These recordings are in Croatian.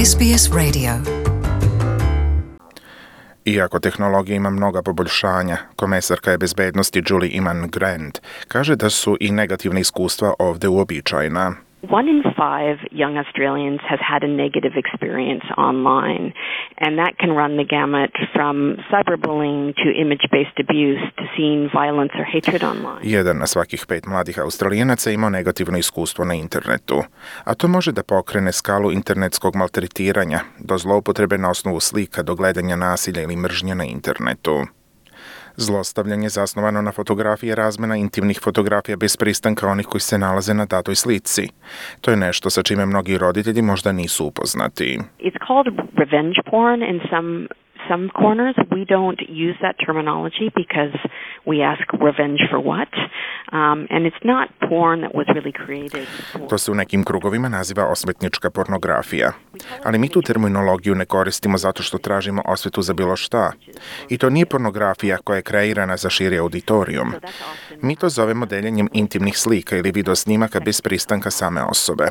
SBS Radio. Iako tehnologija ima mnoga poboljšanja, komesarka je bezbednosti Julie Iman Grant kaže da su i negativna iskustva ovde uobičajena. 1 in 5 young Australians has had a negative experience online, and that can run the gamut from cyberbullying to image-based abuse to seeing violence or hatred online. 1 na svakih 5 mladih Australijanaca ima negativno iskustvo na internetu, a to može da pokrene skalu internetskog maltretiranja do zloupotrebe na osnovu slika, do gledanja nasilja ili mržnje na internetu. Zlostavljanje zasnovano na fotografiji je razmena intimnih fotografija bez pristanka onih koji se nalaze na datoj slici. To je nešto sa čime mnogi roditelji možda nisu upoznati. It's called revenge porn in some corners. We don't use that terminology because we ask revenge for what? And it's not porn that was really created. To se u nekim krugovima naziva osvetnička pornografija. Ali mi tu terminologiju ne koristimo zato što tražimo osvetu za bilo šta. I to nije pornografija koja je kreirana za širi auditorijum. Mi to zovemo deljenjem intimnih slika ili videosnimaka bez pristanka same osobe.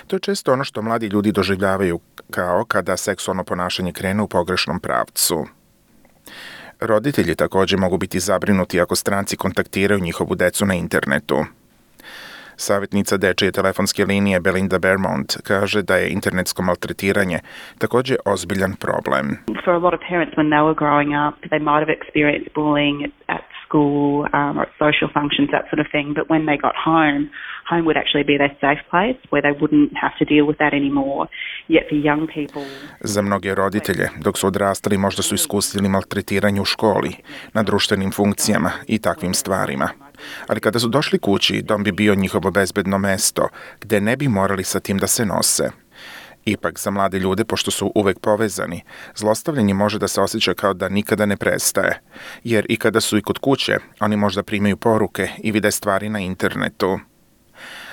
To je često ono što mladi ljudi doživljavaju kao kada seksualno ponašanje krene u pogrešnom pravcu. Roditelji također mogu biti zabrinuti ako stranci kontaktiraju njihovu decu na internetu. Savjetnica dečije telefonske linije Belinda Bermond kaže da je internetsko maltretiranje također ozbiljan problem. For a lot of parents when they were growing up, they might have experienced bullying at school or at social functions, that sort of thing, but when they got home would actually be their safe place where they wouldn't have to deal with that anymore. Yet for young people... Za mnoge roditelje, dok su odrastali, možda su iskusili maltretiranje u školi, na društvenim funkcijama i takvim stvarima. Ali kada su došli kući, dom bi bio njihovo bezbedno mesto, gde ne bi morali sa tim da se nose. Ipak, za mlade ljude, pošto su uvek povezani, zlostavljanje može da se osjeća kao da nikada ne prestaje. Jer i kada su i kod kuće, oni možda primaju poruke i vide stvari na internetu.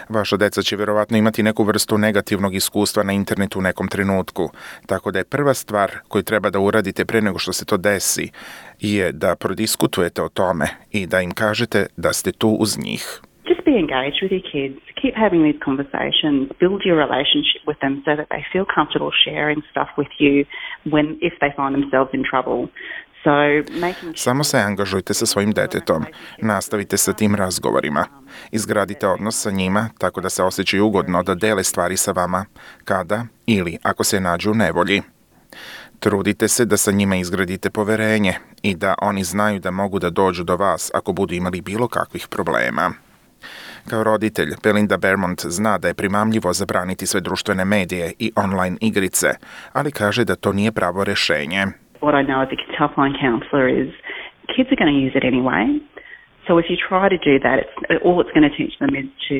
Vaša deca će vjerovatno imati neku vrstu negativnog iskustva na internetu u nekom trenutku, tako da je prva stvar koju treba da uradite pre nego što se to desi je da prodiskutujete o tome i da im kažete da ste tu uz njih. Just be engaged with your kids. Keep having these conversations. Build your relationship with them so that they feel comfortable sharing stuff with you if they find themselves in trouble. Samo se angažujte sa svojim detetom. Nastavite sa tim razgovorima. Izgradite odnos sa njima tako da se osjećaju ugodno da dele stvari sa vama kada ili ako se nađu u nevolji. Trudite se da sa njima izgradite poverenje i da oni znaju da mogu da dođu do vas ako budu imali bilo kakvih problema. Kao roditelj, Belinda Bermond zna da je primamljivo zabraniti sve društvene medije i online igrice, ali kaže da to nije pravo rešenje. What I know as a kids helpline counsellor is kids are going to use it anyway. So if you try to do that, all it's going to teach them is to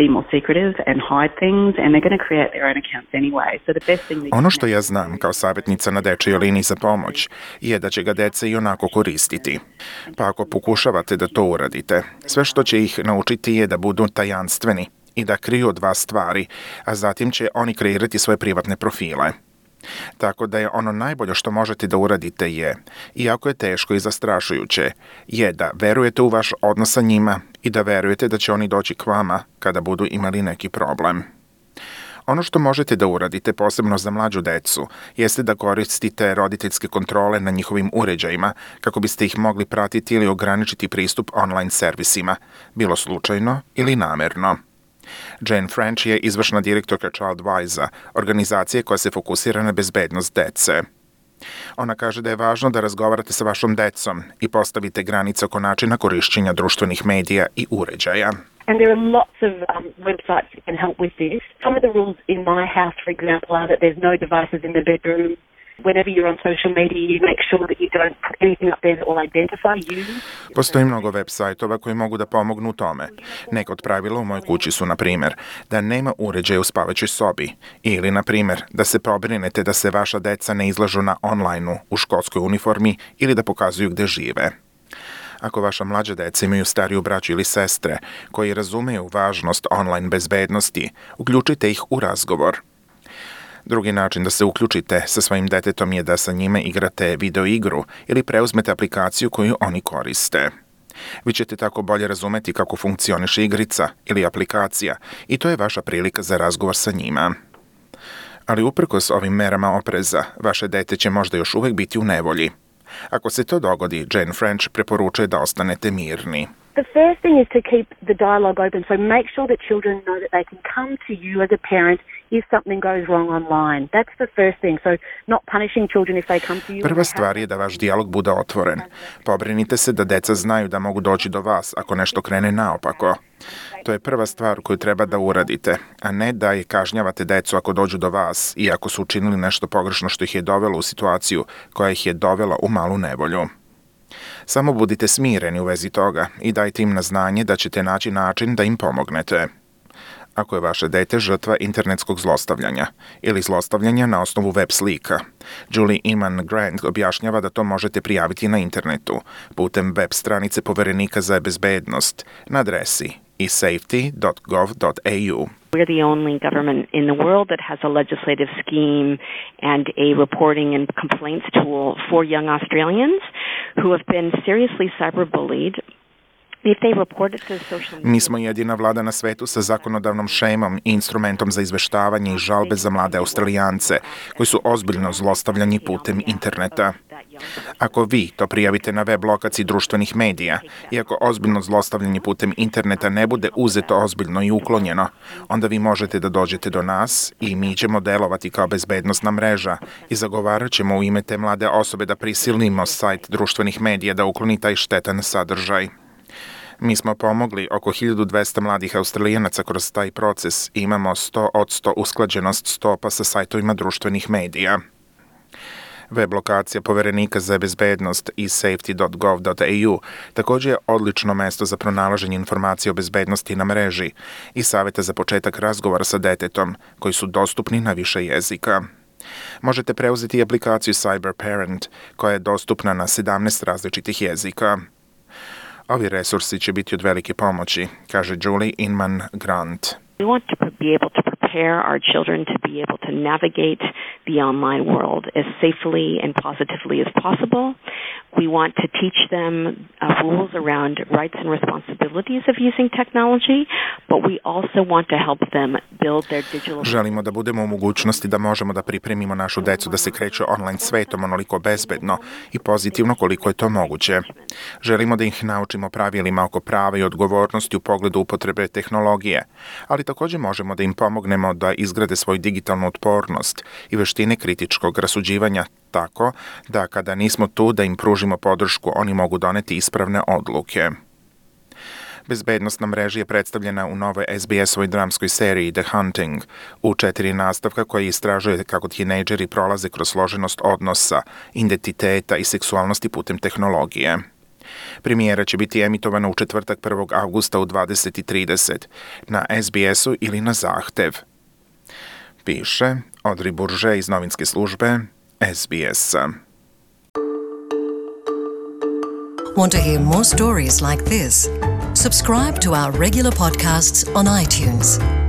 be more secretive and hide things, and they're going to create their own accounts anyway. So the best thing Ono što ja znam kao savjetnica na dečijoj liniji za pomoć je da će ga deca i onako koristiti. Pa ako pokušavate da to uradite, sve što će ih naučiti je da budu tajanstveni i da kriju od vas stvari, a zatim će oni kreirati svoje privatne profile. Tako da je ono najbolje što možete da uradite je, iako je teško i zastrašujuće, je da verujete u vaš odnos sa njima i da verujete da će oni doći k vama kada budu imali neki problem. Ono što možete da uradite, posebno za mlađu decu, jeste da koristite roditeljske kontrole na njihovim uređajima kako biste ih mogli pratiti ili ograničiti pristup online servisima, bilo slučajno ili namerno. Jane French je izvršna direktorka Childwise-a, organizacije koja se fokusira na bezbednost dece. Ona kaže da je važno da razgovarate sa vašom decom i postavite granice oko načina korišćenja društvenih medija i uređaja. And there are lots of websites that can help with this. Some of the rules in my house, for example, are that there's no devices in the bedroom. Whenever you're on social media, you make sure that you don't put anything up there that will identify you. Postoji mnogo web sajtova koji mogu da pomognu u tome. Neka od pravila u mojoj kući su, na primjer, da nema uređaja u spavaćoj sobi ili, na primjer, da se pobrinete da se vaša deca ne izlažu na online-u u školskoj uniformi ili da pokazuju gde žive. Ako vaša mlađa deca imaju stariju braću ili sestre koji razumeju važnost online bezbednosti, uključite ih u razgovor. Drugi način da se uključite sa svojim detetom je da sa njime igrate video igru ili preuzmete aplikaciju koju oni koriste. Vi ćete tako bolje razumeti kako funkcioniše igrica ili aplikacija i to je vaša prilika za razgovor sa njima. Ali uprkos ovim merama opreza, vaše dete će možda još uvijek biti u nevolji. Ako se to dogodi, Jane French preporučuje da ostanete mirni. The first thing is to keep the dialogue open, so make sure that children know that they can come to you as a parent if something goes wrong online. That's the first thing, so not punishing children if they come to you. Prva stvar je da vaš dijalog bude otvoren. Pobrinite se da deca znaju da mogu doći do vas ako nešto krene naopako. To je prva stvar koju treba da uradite, a ne da je kažnjavate decu ako dođu do vas i ako su učinili nešto pogrešno što ih je dovelo u situaciju koja ih je dovela u malu nevolju. Samo budite smireni u vezi toga i dajte im na znanje da ćete naći način da im pomognete. Ako je vaše dete žrtva internetskog zlostavljanja ili zlostavljanja na osnovu web slika, Julie Iman Grant objašnjava da to možete prijaviti na internetu putem web stranice Poverenika za bezbednost na adresi esafety.gov.au. We're the only government in the world that has a legislative scheme and a reporting and complaints tool for young Australians who have been seriously cyberbullied. Mi smo jedina vlada na svetu sa zakonodavnom šemom i instrumentom za izveštavanje i žalbe za mlade Australijance koji su ozbiljno zlostavljani putem interneta. Ako vi to prijavite na web lokaciji društvenih medija i ako ozbiljno zlostavljanje putem interneta ne bude uzeto ozbiljno i uklonjeno, onda vi možete da dođete do nas i mi ćemo delovati kao bezbednosna mreža i zagovarat ćemo u ime te mlade osobe da prisilimo sajt društvenih medija da ukloni taj štetan sadržaj. Mi smo pomogli oko 1200 mladih Australijanaca kroz taj proces i imamo 100% usklađenost stopa sa sajtovima društvenih medija. Web lokacija Poverenika za bezbednost esafety.gov.au također je odlično mesto za pronalaženje informacija o bezbednosti na mreži i savjeta za početak razgovora sa detetom koji su dostupni na više jezika. Možete preuzeti aplikaciju Cyber Parent koja je dostupna na 17 različitih jezika. Ovi resursi će biti od velike pomoći, kaže Julie Inman Grant. We want to be able to prepare our children to be able to navigate the online world as safely and positively as possible. We want to teach them rules around rights and responsibilities of using technology, but we also want to help them build their digital... Želimo da budemo u mogućnosti da možemo da pripremimo našu decu da se kreću online svetom onoliko bezbedno i pozitivno koliko je to moguće. Želimo da ih naučimo pravilima oko prava i odgovornosti u pogledu upotrebe tehnologije, ali također možemo da im pomognemo da izgrade svoju digitalnu otpornost i veštine kritičkog rasuđivanja tako da kada nismo tu da im pružimo podršku, oni mogu doneti ispravne odluke. Bezbednost na mreži je predstavljena u novoj SBS-ovoj dramskoj seriji The Hunting u 4 nastavka koji istražuje kako tinejdžeri prolaze kroz složenost odnosa, identiteta i seksualnosti putem tehnologije. Premijera će biti emitovana u četvrtak 1. avgusta u 20:30 na SBS-u ili na zahtev. Piše Audrey Bourget iz novinske službe SBS. Want to hear more stories like this? Subscribe to our regular podcasts on iTunes.